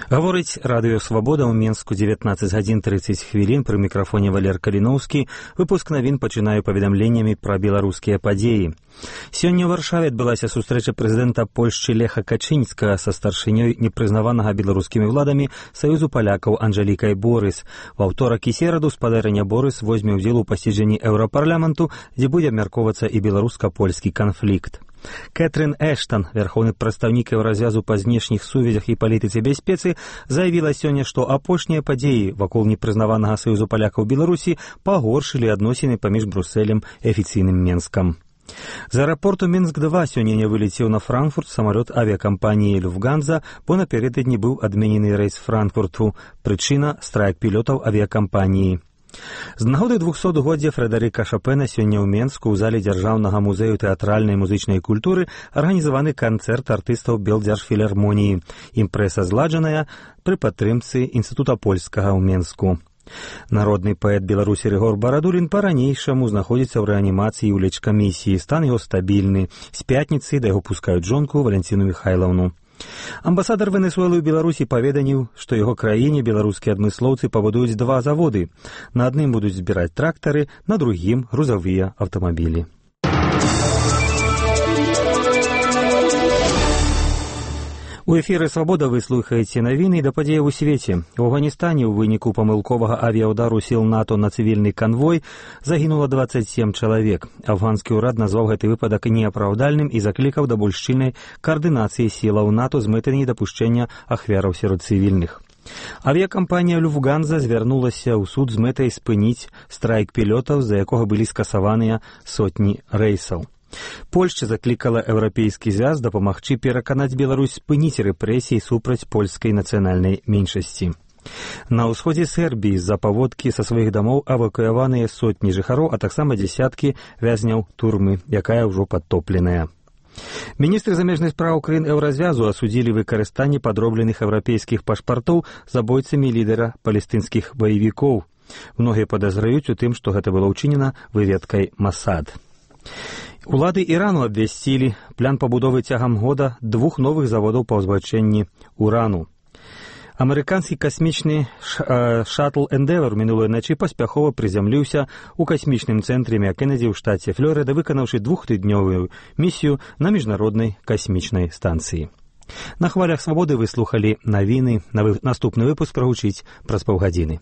Гаворыць радыё «Свабода» ў Менску 19 гадзін 30 хвілін. Пры мікрафоне Валер Каліноўскі. Выпуск навін пачынаю паведамленнямі пра беларускія падзеі. Сёння ў Варшаве адбылася сустрэча прэзідэнта Польшчы Леха Качынскага са старшынёй непрызнаванага беларускімі ўладамі Саюзу палякаў Анжэлікай Борыс. Ва ўторак і сераду спадарыня Борыс возьме ўдзел у паседжанні Еўрапарламенту, дзе будзе абмяркоўвацца і беларуска-польскі канфлікт. Кэтрин Эштон, верховны прадстаўнік Еўразвязу па знешніх сувязях і палітыцы бяспецы, заявіла сёння, што апошнія падзеі вакол непрызнаванага Саюзу палякаў Беларусі пагоршылі адносіны паміж Брусэлем і афіцыйным Менскам. З аэрапорту Мінск-2 сёння не вылецеў на Франкфурт самалёт авіякампаніі «Люфтганза», бо напярэдадні быў адменены рэйс Франкфурту. Прычына – страйк пілётаў авіякампаніі. З нагоды 200-годдзя Фрэдэрыка Шопена сёння ў Менску ў зале Дзяржаўнага музею тэатральнай і музычнай культуры арганізаваны канцэрт артыстаў Белдзяржфілармоніі. Імпрэза зладжаная пры падтрымцы Інстытута польскага ў Менску. Народны паэт Беларусі Рыгор Барадулін па-ранейшаму знаходзіцца ў рэанімацыі ў лечкамісіі. Стан яго стабільны. З пятніцы да яго пускаюць жонку Валянціну Міхайлаўну. Амбасадар Венесуэлы ў Беларусі паведаміў, што яго краіне беларускія адмыслоўцы пабудуюць 2 заводы. На адным будуць збіраць трактары, на другім грузавыя аўтамабілі. У эфіры «Свабода» вы слухаеце навіны да падзеяў у свеце. У Афганістане ў выніку памылковага авіяўдару сіл НАТО на цывільны канвой загінула 27 чалавек. Афганскі ўрад назваў гэты выпадак неапраўдальным і заклікаў да больш шчыльнай каардынацыі сілаў НАТО з мэтай недапушчэння ахвяраў сярод цывільных. Авіякампанія «Люфтганза» звярнулася ў суд з мэтай спыніць страйк пілётаў, з-за якога былі скасаваныя сотні рэйсаў. Польшча заклікала Еўрапейскі звяз дапамагчы пераканаць Беларусь спыніць рэпрэсіі супраць польскай нацыянальнай меншасці. На ўсходзе Сербіі з-за паводкі са сваіх дамоў эвакуяваныя сотні жыхароў, а таксама дзясяткі вязняў турмы, якая ўжо падтопленая. Міністры замежных спраў краін Еўразвязу асудзілі выкарыстанне падробленых еўрапейскіх пашпартоў забойцамі лідара палестынскіх баевікоў. Многія падазраюць у тым, што гэта было ўчынена выведкай Масад. Улады Ірану абвясцілі план пабудовы цягам года 2 новых заводаў па ўзбагачэнні урану. Амерыканскі касмічны шаттл «Эндевар» мінулай начы паспяхова прызямліўся ў касмічным цэнтры Кеннеді ў штаце Флорыда, выканаўшы 2-тыднёвую місію на міжнароднай касмічнай станцыі. На хвалях «Свабоды» вы слухалі навіны. Наступны выпуск прагучыць праз паўгадзіны.